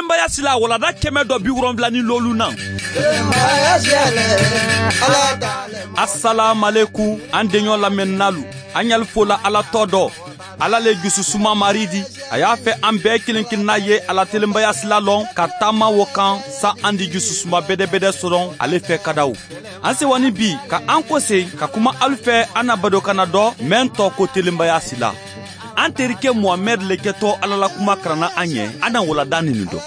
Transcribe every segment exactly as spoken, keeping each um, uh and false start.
Telembayaasi la walanda kɛmɛ dɔ bi wolonwula ni loolu naŋ. Asalaamualekum, an deɲɔ lamɛnnaalu, an ɲali fola Ala tɔ dɔ. Ala le jususuma maari di. A y'a fɛ an bɛɛ kelen kelenna ye a la telembayaasi la lɔn ka taama wo kan, sa an di jususuma bedebede sɔrɔ ale fɛ kadaw. An sewani bi ka an kose ka kuma alu fɛ an na badokanna dɔ mɛn tɔ ko telembayaasi la. An terike muhamɛdi le kɛtɔ Ala la kuma karanna an ɲɛ, an na walanda nini dɔ.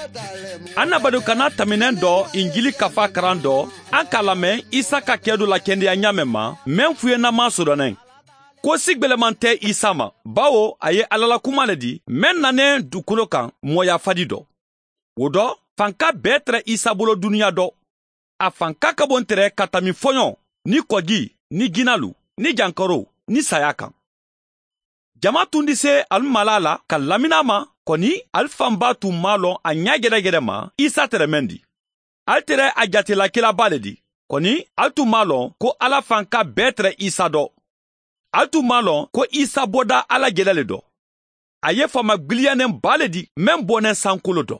An na badokanna tɛmɛnen dɔ, injili kafa karan dɔ, an k'a lamɛn isa ka kɛ dɔ la kendeya ɲaamɛ ma, mɛn fuyennama sodɔnɛ ko si gwɛlɛman tɛ isa ma, bawo a ye Ala la kuma le di, mɛn nanen dukolo kan mɔya fadi dɔ. Wo dɔ, fanka bɛɛ tɛrɛ isa bolo duniya dɔ. A fanka ka bon tɛrɛ ka tami fɔɲɔ, ni kɔgi, ni ginalu, ni jankaro, ni saya kan. Jama tun di se alu mala la ka lamina ma, kɔni alu fanba tun ma lɔn a ɲa gɛdɛgɛdɛ ma isa tɛrɛmɛn di. Alu tɛrɛ a jatela kelaba le di, kɔni alu tun ma lɔn ko Ala fanka bɛɛ tɛrɛ isa dɔ. Alu tun ma lɔn ko isa bɔda Ala jɛlɛ le dɔ. A ye faama gbiliyanɛn ba le di, mɛn bɔnɛ sankolo dɔ.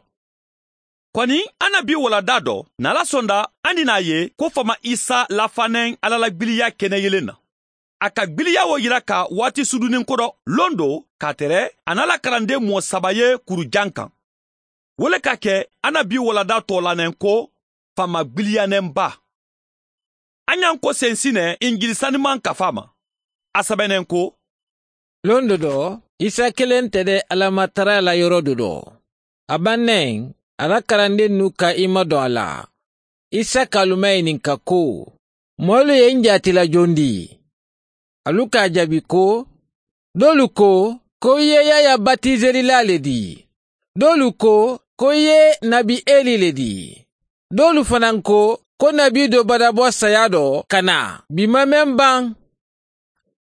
Kɔni, an na bi walanda dɔ, n'a la sɔnda, an di n'a ye ko faama isa lafanɛn Ala la gbiliya kɛnɛyelen na. A ka gbiliya wo yira ka waati sudunnin kodɔ, lon do, k'a tɛrɛ a n'a la karanden mɔɔ saba ye kuru jan kan. Wo le ka kɛ, an na bi walanda tɔɔlanɛn ko faama gbiliyanɛnba. An y'an ko sensinɛ injili saniman kafa ma. A sɛbɛnnen ko, londo dɔ, isa kelen tɛ dɛ, Ala ma tara la yɔrɔ do dɔ. A bannɛ, a la karandennu ka i madɔn a la. Isa ka alu maɲininka ko, moolu ye n jaati la jondi? Alu ka a jaabi ko, doolu ko, ko i ye yaya batiselila le di. Doolu ko, ko i ye nabi eli le di. Doolu fanaŋ ko, ko nabi do badabɔ saya dɔ ka na bi ma meŋ baŋ.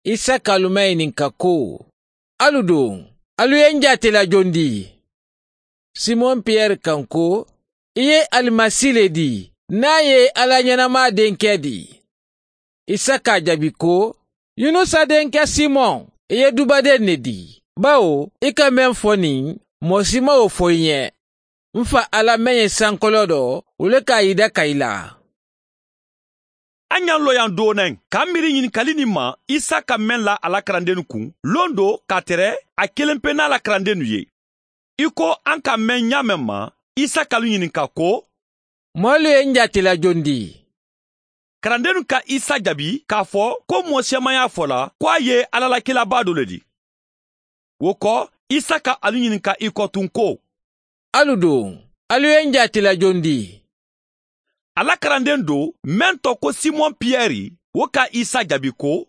Isa ka alu maɲininka ko, alu duŋ, alu ye n jaati la jondi? Simon piyɛri ka n ko, i ye alimasi le di, n'a ye Ala ɲɛnamaa denkɛ di. Isa ka a jaabi ko, yunusa denkɛ simon, i ye dubaden ne di, bawo i ka meŋ fo niŋ, mɔɔ si maŋ wo fo i ɲɛ. N fa Ala meŋ ye sankoloo do, wo le ka a yida ka i la. A ɲaŋ loyaŋ doonee ka a miiri ɲinikali nin ma, isa ka meŋ la a la karandennu kuŋ, londo k'a tere a kelenpe n'a la karandennu ye. I ko an ka meŋ ɲaameŋ ma, isa ka alu ɲininka ko, moolu ye n jaati la jondi? Karandennu ka isa jaabi k'a fo ko, mɔɔ si maŋ y'a fo la ko a ye ala la kilabaa do le di. Wo ko, isa ka alu ɲininka i ko tun ko, alu duŋ, alu ye n jaati la jondi? A la karanden do, meŋ to ko simon piyɛri, wo ka isa jaabi ko,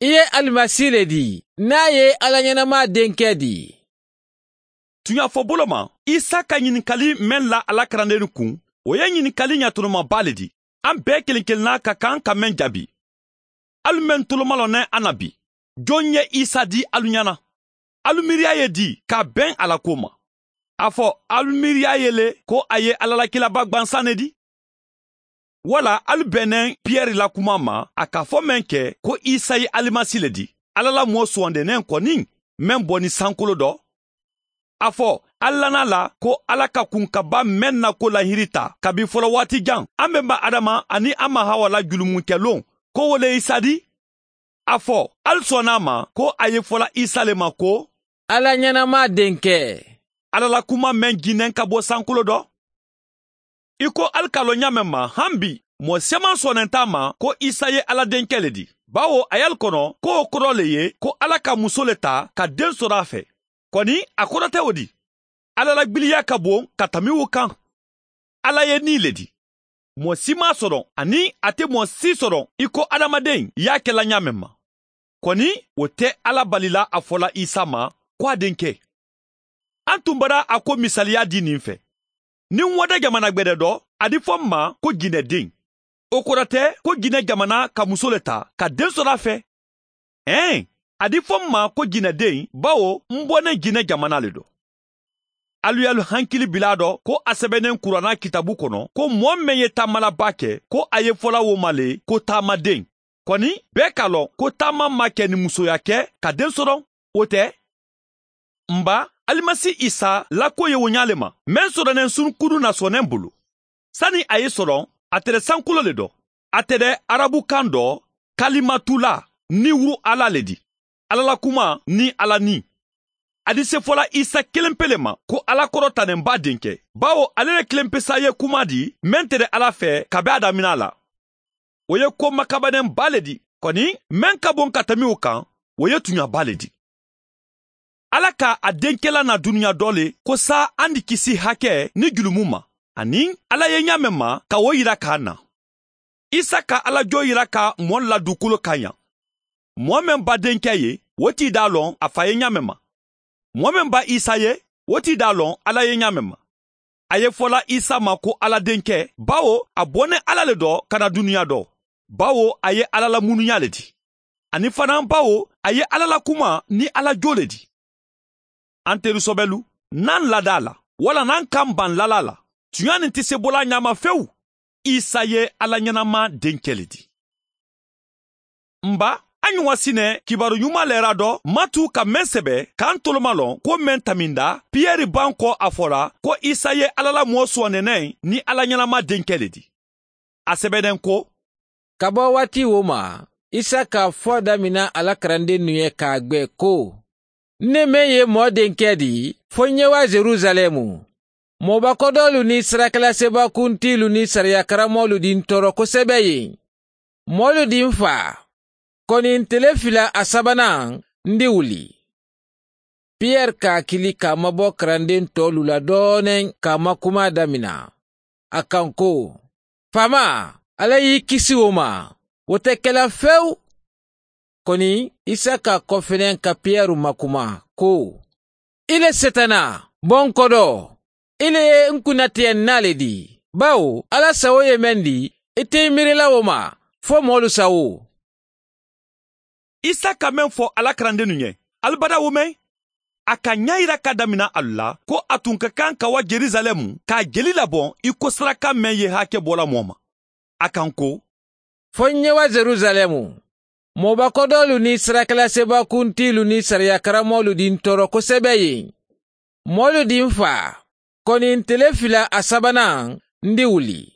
i ye alimasi le di, n'a ye ala ɲɛnamaa denkɛ di. Tuɲafɔbolo ma, isa ka ɲininkali meŋ la a la karandennu kuŋ, wo ye ɲininkali ɲatolomabaa le di. An bee kelen kelenna ka kan ka meŋ jaabi. Alu meŋ tolomalɔnɛ a na bi, joŋ ye isa di alu ɲana? Alu miiriya ye di k'a beŋ a la kuwo ma? A fo alu miiriya ye le ko a ye ala la kilaba gbansaŋ ne di? Wala alu bennen piyɛri la kuma ma a ka fo meŋ ke ko isa ye alimasi le di, ala la moo suwandenen kɔni, meŋ boni sankolo do? A fo alu lana la ko ala ka kunkaba meŋ na ko lahiri ta kabi folowaati jaŋ, an benba adama aniŋ a ma hawa la julumunkɛ loŋ, ko wo le isa di? A fo alu sɔnna a ma ko a ye fola isa le ma ko, ala ɲɛnamaa denkɛ, ala la kuma meŋ jinnen ka bo sankolo do. I ko alu ka loŋ ɲaameŋ ma, han bi, moo si maŋ sɔnnenta a ma ko isa ye ala denkɛ le di, bawo a ye alu kono ko wo koroo le ye ko ala ka muso le taa ka den soro a fe. Koni a koroo te wo di? Ala la gbiliya ka bon ka tami wo kaŋ. Ala ye nii le di. Moo si maŋ a soro aniŋ a te moo si soro i ko adamaden ye a ke la ɲaameŋ ma. Koni wo te ala bali la a fola isa ma ko a denkɛ. An tun bara a ko misaliya di nin fe. Niŋ wo de jamana gbede do, a di fo n ma ko jinɛ den. Wo koroo te ko jinɛ jamana ka muso le taa ka den soro a fe. Ee, a di fo n ma ko jinɛ den, bawo n bonnen jinɛ jamana le do. Alu ye alu hankili bila a do ko a sebennen kurana kitabu kono ko moo meŋ ye taamalabaa ke ko a ye fola wo ma le ko taamaden. Koni bee ka loŋ ko taama maŋ ke ni musoya ke ka den soro. Wo te? N ba, Alimasi isa la ko ye wo ñaa le ma, meŋ soto neŋ sunkudun na sooneŋ bulu. Sani a ye soloŋ, a tere sankulo le do. A tere arabukaŋ do, kalimatula, niwuru alla le di, alla la kuma niŋ alla niŋ. A di sefola isa kelempe le ma ko alla korota neŋ baa denke, bawo ale le kelempe saa ye kuma di meŋ tere alla fee ka be a damina la. Wo ye ko makabaneŋ baa le di, koni meŋ ka boŋ ka tamiwo kaŋ, wo ye tuña baa le di. Alla ka a denkela na duniya doo le ko saa a ni kisi hake ni julumu ma, aniŋ alla ye ñaameŋ ma ka wo yira ka a na. Isa ka alla joo yira ka moolu la duukolo kaŋ yaŋ. Moo meŋ ba denke ye, wo ti daa loŋ a fa ye ñaameŋ ma. Moo meŋ ba isa ye, wo ti daa loŋ alla ye ñaameŋ ma. A ye fola isa ma ko alla denke, bawo a boneŋ alla le do ka na duniya do, bawo a ye alla la munuñaa le di, aniŋ fanaa bawo a ye alla la kuma niŋ alla joo le di. Anteru sobelu, naŋ ladaa la walla naŋ kaŋ baŋ lala la, tuñaa niŋ ti sebolaa ñaama fewu. Isa ye alla ñanama denke le di. N ba, a ñuŋ a si ne kibaaru ñumaa leera do matu ka meŋ sebe ka ntolu ma loŋ ko meŋ taminda piyeri baŋ ko a fola ko isa ye alla la moo suwandi neŋ niŋ alla ñanama denke le di. A sebe neŋ ko, ka bo waati wo ma, isa ka a fo damina a la karandennu ye ka a gbe ko, n ne meŋ ye moo denke di, fo n ye wa yerusaleemu. Moo bakodoolu niŋ sarakalase bakuntiilu niŋ sariya karamoolu di n tooro kosebe yen. Moolu di n faa, koni n tele fila a sabanaŋ, n di wuli. Piyere ka a kili ka a mabo karandeŋ toolu la dooneŋ ka a makumaa damina a kaŋ ko, faamaa, alla ye i kisi wo ma, wo te ke la fewu. Koni isa ka a kofeneŋ ka piyere makumaa ko, i le setana, bonkodoo, i le ye n kunnatiyaŋ naa le di, bawo alla sawo ye meŋ di, i te i miirila wo ma fo moolu sawo. Isa ka meŋ fo a la karandennu ye, ali bada wo meŋ? A ka ñaayira ka damina alu la ko a tun ka kaŋ ka wa yerusaleemu ka a jeli laboŋ i ko saraka meŋ ye hake bo la moo ma. A kaŋ ko, fo n ye wa yerusaleemu, moo bakodoolu niŋ sarakalase bakuntiilu niŋ sariya karamoolu di n tooro kosebe yen. Moolu di n faa, koni n tele fila a sabanaŋ, n di wuli.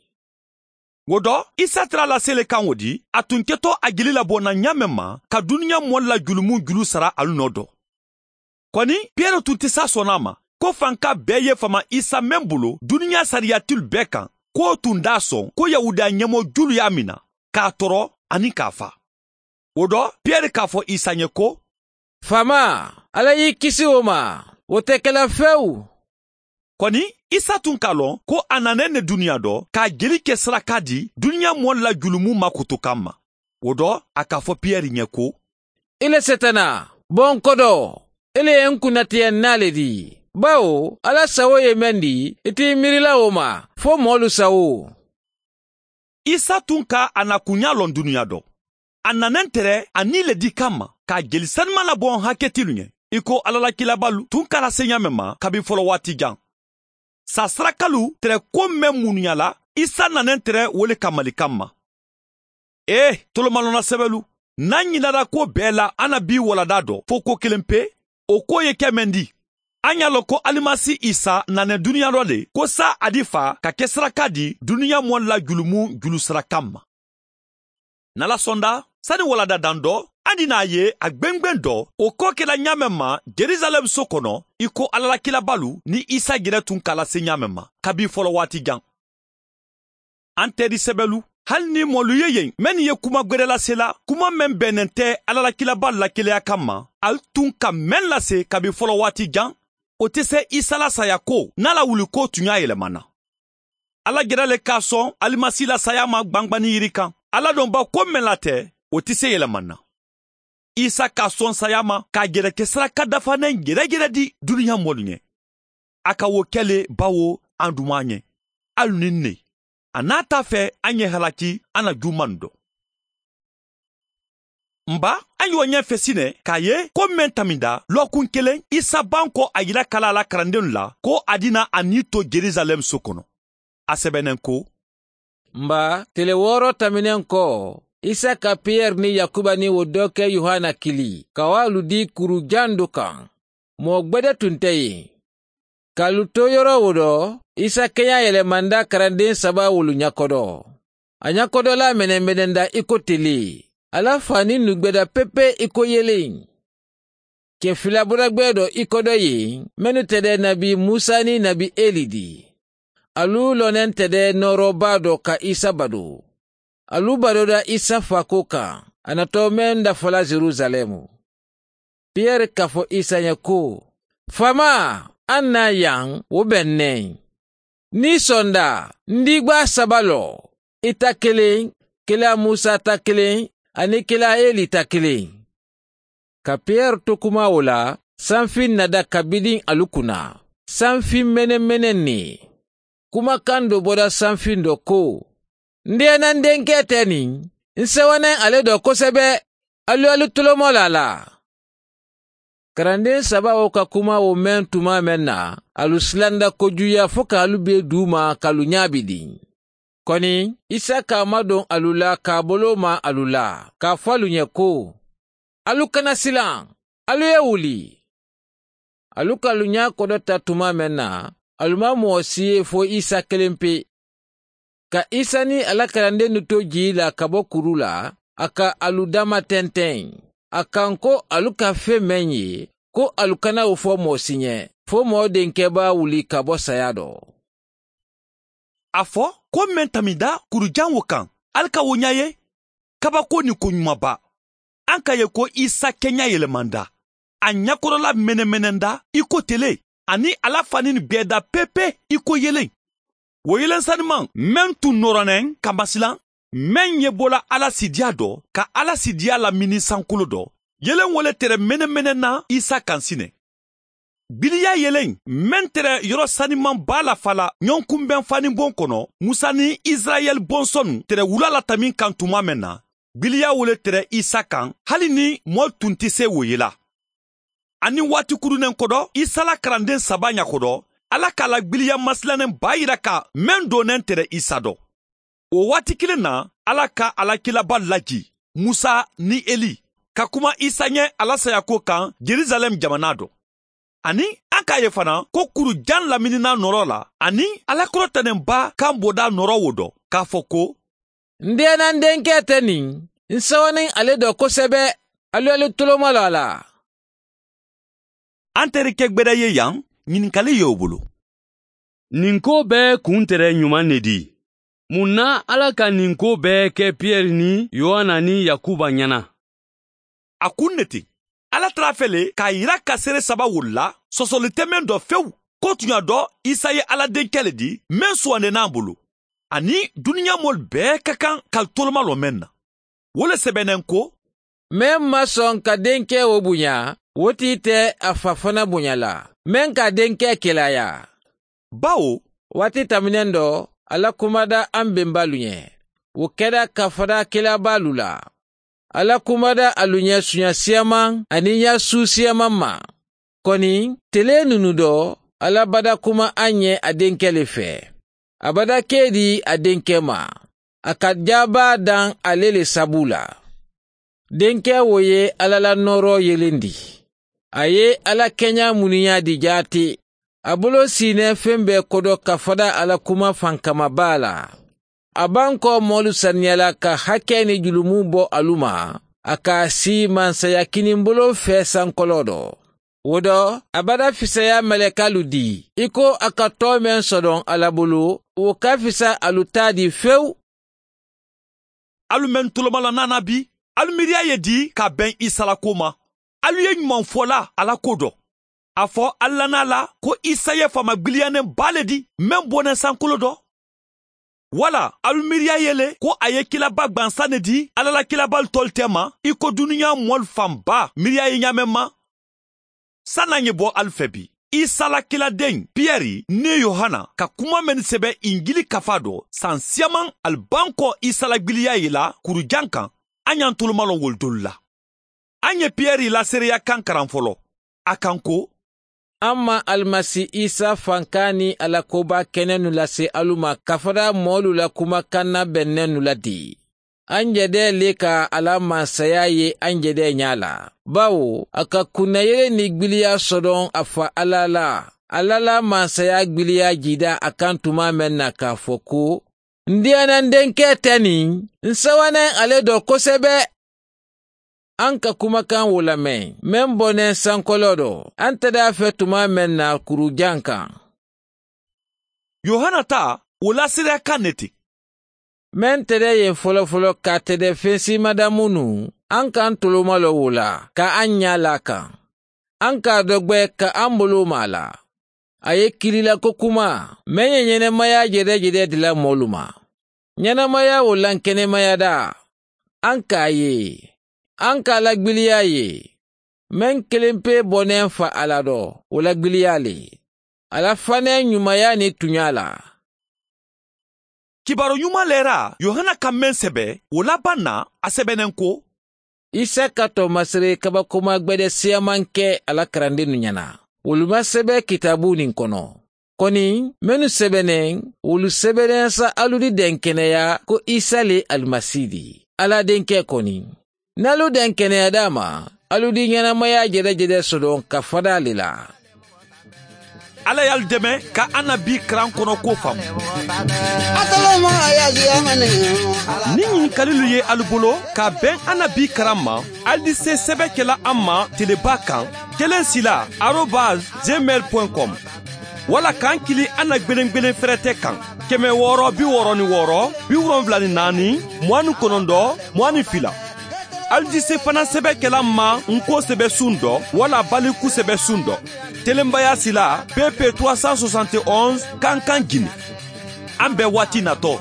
Wo do, isa tara la sele kaŋo di a tun keto a jeli labonna ñaameŋ ma ka duniya moolu la julumu julu sara alu noo do. Koni piyere tun te saa sona a ma ko fanka bee ye fama isa meŋ bulu duniya sariyatilu bee kaŋ, ko wo tun daa soŋ ko yahudiya ñemoo julu ye a mina, ka a toro aniŋ ka a faa. Wo do, piyere ka a fo isa ye ko, faamaa, alla ye i kisi wo ma, wo te ke la fewu. Koni isa tun ka a loŋ ko a naneŋ ne duniya do ka a jeli ke saraka di duniya moolu la julumu makutu kamma. Wo do, a ka a fo piyeri ye ko, i le setana, bonkodoo, i le ye n kunnatiyaŋ naa le di, bawo alla sawo ye meŋ di, i te i miirila wo ma fo moolu sawo. Isa tun ka a na kuñaa loŋ duniya do. A naneŋ tere a nii le di kamma ka a jeli sanuma laboŋ haketilu ye, i ko alla la kiilabaalu tun ka a lase ñaameŋ ma kabi folowaati jaŋ. Saa sarakalu tere ko meŋ munuña la, isa naneŋ tere wo le kammali kamma. Ee, tolomalonna sebelu, n na ñinnarako bee la a na bii waladaa do fo ko keleŋ pe. Wo ko ye ke meŋ di? A ña loŋ ko alimasi isa naneŋ duniya do le ko saa a di faa ka ke saraka di duniya moolu la julumu julu sara kamma. N na la sonda sani waladaa daŋ do a di naa ye a gbengbeŋ do wo ko ke la ñaameŋ ma, yerusaleemu so kono, i ko alla la kiilabaalu niŋ isa jere tun ka a lase ñaameŋ ma kabi folowaati jaŋ. An teeri sebelu, hali niŋ moolu ye yeŋ mennu ye kuma gwerelase la kuma meŋ bee neŋ te alla la kiilabaalu la keleya kamma, ali tun ka meŋ lase kabi folowaati jaŋ, wo te se isa la saaya ko niŋ a la wuli ko tuñaa yelema n na. Alla jere le ka a soŋ alimasi la saaya ma gbangbanni yiri kaŋ. Alla doŋ ba ko meŋ la te, wo te se yelema n na. Isa ka a soŋ saaya ma ka a jere ke saraka dafaneŋ jerejere di duniya moolu ye. A ka wo ke le bawo a duma a ye, alu niŋ ne a naata a fe a ye halaki a na juumaŋ do. N ba, a ye wo ñeŋ fesi ne ka a ye ko meŋ taminda lookuŋ keleŋ isa banko a yila kala a la karandennu la ko a dina a nii to yerusaleemu so kono. A sebeneŋ ko, n ba, tele wooro tamineŋ ko isa ka piyere niŋ yakuba niŋ wo doo ke yohana kili ka wo alu dii kuru jandu kaŋ. moo gbede tun te yen. Ka alu to yoro wo do, isa keɲa yelemanda karandeŋ saba wolu ɲakodo. A ɲakodolaa menemenenda i ko tele. A la faaninnu gbeda pepe i ko yeleŋ. Ke filaburagbee do i kodo yen, mennu tede nabi musa niŋ nabi eli di. Alu loneŋ tede nooroo baa do ka isa badu. Alu badoda isa faakoo kaŋ, a na too meŋ dafa la yerusaleemu. Piyeri ka fo isa ɲe ko, faamaa, a ŋ naa yaŋ wo be ǹ ne. Niŋ i sonda, n diigbaa saba lo, i ta kiliŋ, kilaa musa ta kiliŋ, aniŋ kilaa eli ta kiliŋ. Ka piyeri to kuma wo la, sanfiŋ na da kabidiŋ alu kuna, sanfiŋ menemene ne. Kumakaŋ do boda sanfiŋ do ko, n deenaŋ denkee te niŋ, n sewaneŋ ale do kosebe. Alu ye alu tolomo la a la. Karandeŋ saba wo ka kuma wo meŋ tuma meŋ na, alu silanda kojuuyaa fo ka alu bee duuma ka alu ɲaabidiŋ. Koni, isa ka a madoŋ alu la ka a boloo maa alu la, ka a fo alu ɲe ko, alu kana silaŋ, alu ye wuli. Alu ka alu ɲaa kodota tuma meŋ na, alu maŋ moo si ye fo isa keleŋ pe. Ka isa niŋ a la karandennu to jii la ka bo kuru la, a ka alu dama tenteŋ. A kaŋ ko alu ka feŋ meŋ ye, ko alu kana wo fo moo si ɲe, fo moo denkee be a wuli ka bo saya do. A fo, ko meŋ taminda kurujaŋ wo kaŋ, ali ka wo ɲaa ye. Kabakoo niŋ koɲumanba. A ŋ ka ye ko isa keɲa yelemanda, a ɲakorola menemenenda i ko tele, aniŋ a la faniŋ gbeeda pepe i ko yeleŋ. Wo yeleŋ sanimaŋ meŋ tuŋ nooroneŋ ka masilaŋ, meŋ ye bola ala sidiya do ka ala sidiya lamini sankolo do, yeleŋ wo le tere menemenena isa kaŋ sineŋ. Gbiliya yeleŋ meŋ tere yoro sanimaŋ baa la fala ɲonkunbeŋ faniboŋ kono, musa niŋ isirayeli bonsonnu tere wula la tamiŋ kaŋ tuma meŋ na, gbiliya wo le tere isa kaŋ, hali niŋ moolu tun ti se wo yela. Aniŋ waati kuruneŋ kodo isa la karandeŋ saba ɲakodo, alla ka a la gbiliya masilaneŋ baa yira ka meŋ dooneŋ tere isa do. Wo waati kiliŋ na, alla ka a la kilabaalu laji, musa niŋ eli, ka kuma isa ɲe a la sayakuwo kaŋ, yerusalem jamanaa do. Aniŋ a ka a ye fanaa ko kuru jaŋ laminina nooroo la, aniŋ a la korotenenbaa kaŋ bodaa nooroo wo do, ka a fo ko, n deenaŋ denkee te niŋ, n sewo niŋ ale do kosebe. Alu ye alu tolomaloo a la. A nte ri ke gbeda ye yaŋ, ɲininkali ye wo bulu. Niŋ koo bee kuntere ɲumaŋ ne di? Muŋ na alla ka niŋ koo bee ke piyeri niŋ yohana niŋ yakuba ɲana? A kuŋ ne ti, alla tara a fe le k'a yira ka seere saba wolu la, sosoli te meŋ do fewu, ko tuɲa do isa ye alla denkee le di, meŋ suwandena a bulu, aniŋ duniyaa moolu bee ka kaŋ ka ali tolomaloo meŋ na. Wo le sebeneŋ ko, meŋ maŋ soŋ ka denkee wo buɲa, wo ti ite a fa fana buɲa la, meŋ ka a denkee kelaayaa. Bawo waati tamineŋ do, alla kumada a m bembaalu ɲe, wo keda ka fada kilaabaalu la. Alla kumada alu ɲe suɲa siyamaŋ aniŋ yaa suu siyamaŋ ma. Koni, telee nunu do, alla bada kuma a ɲe a denkee le fee. A bada kee di a denkee ma, a ka jaabaa daŋ ale le sabuu la. Denkee wo ye alla la nooroo yelendi. A ye alla keɲaa muniyaa di jaati. A buloo siinee feŋ bee kodo ka fada alla kuma fankama baa la. A bankoo moolu saniyala ka hakkee niŋ julumu bo alu ma, a ka a sii mansaya kinimbuloo fee sankoloo do. Wo do, a bada fisayaa malekaalu di, i ko a ka too meŋ sodoŋ alla bulu, wo ka fisa alu taa di fewu. Alu mennu tolomaloo naanaa bi, alu miiriyaa ye di ka a beŋ isa la kuwo ma. Alu ye ɲumaŋ fo la a la kuwo do. A fo alu lana a la ko isa ye faamagbiliyaneŋ baa le di, meŋ boneŋ sankoloo do. Walla alu miiriyaa ye le ko a ye kilaabaa gbansaŋ ne di alla la kilaabaalu toolu teema, i ko duniyaa moolu fan baa miiriyaa ye ɲaameŋ ma. Saayiŋ a ŋa bo ali fee bi, isa la kiladeŋ piyeri niŋ yohana ka kuma mennu sebe injili kafaa do, saŋ siyamaŋ ali bankoo isa la gbiliyaa ye la kurujaŋ kaŋ. A ɲaŋ tolomaloo wolu doolu la. A ŋ ye piyeri la seereyaa kaŋ karaŋ foloo. A kaŋ ko, a maŋ alimasi isa fankaa niŋ a la koobaa kenennu lase alu ma kafada moolu la kuma kanna bennennu la dii. a ǹ jede le ka a la mansayaa ye a ǹ jede ñaa la. Bawo a ka kunnayele niŋ gbiliyaa sodoŋ a fa alla la. Alla la mansayaa gbiliyaa jiida a kaŋ tumaa meŋ na ka a fo ko, ndiyaana n denkee te niŋ n sawaneŋ ale do kosebe. A ǹ ka kumakaŋ wo lameŋ meŋ boneŋ sankoloo do. A ǹ tede a fe tumaa meŋ na kuru jaŋ kaŋ. Yohana taa wo laaseedeyaa kaŋ ne ti. Meŋ tede ye folofolo ka tede fensiimadamu nuŋ. A ǹ ka a ǹ tolomaloo wo la ka a ǹ ñaa la a kaŋ. A ǹ ka a dogbe ka a ǹ boloo maa a la. A ye kili la ko kumaa meŋ ye ñenemayaa jedejede dila moolu ma. Ñenemayaa wo lankenemaya daa. A ǹ ka a ye. A ǹ ka a la gbiliyaa ye. Meŋ kilimpee boneŋ fa a la do wo la gbiliyaa le. A la faneŋ ñumayaa niŋ tuñaa la. Kibaaru ñumaa leeraa yohana ka meŋ sebe wo la baŋ na a sebe neŋ ko, isa ka to masiree kabakomaa gbede siyamanke a la karandiinu ñana. Wolu maŋ sebe kitaabuu niŋ kono. Koni mennu sebe neŋ wolu sebe neŋ sa alu di denkeneyaa ko isa le alimasi di. Alla denkee koni. Niŋ alu denkeneyaa daa ma alu di ñenemayaa jedejede sodoŋ ka fadaa le la. Alla ye alu deme ka annabii karaŋ kono kuwo faamu. Niŋ ñinkalilu ye alu bolo ka a beŋ annabii karaŋ ma, alu di see sebe ke la a ma telebaa kaŋ, keleŋ sila arobas gmail point com. Walla ka a kili a na gbelengbelen ferete kaŋ, keme wooro bi wooro ni wooro bi wolonwula ni naani, muwaani konondo, muwaani fila. Alu di se fanaŋ sebe ke la a ma n ko sebe suŋ do walla baliku sebe suŋ do. Telenbayaa sila pepe trois cent soixante et onze kankan gine. An be waati natɔ,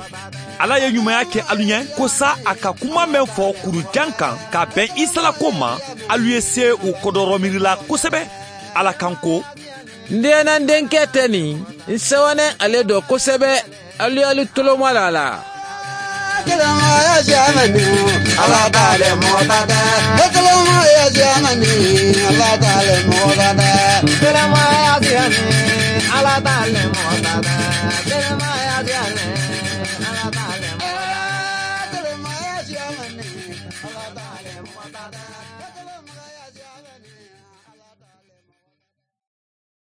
alla ye ɲumanya ke alu ɲɛ ko sa a ka kuma men fɔ kurujan kan ka bɛn isa la ko ma, alu ye se u kɔdɔrɔmiiri la kosɛbɛ. Alla kan ko, n deena n denkɛ tɛ nin n sɛwɛnɛ ale dɔ kosɛbɛ. Alu ye alu tolomala la.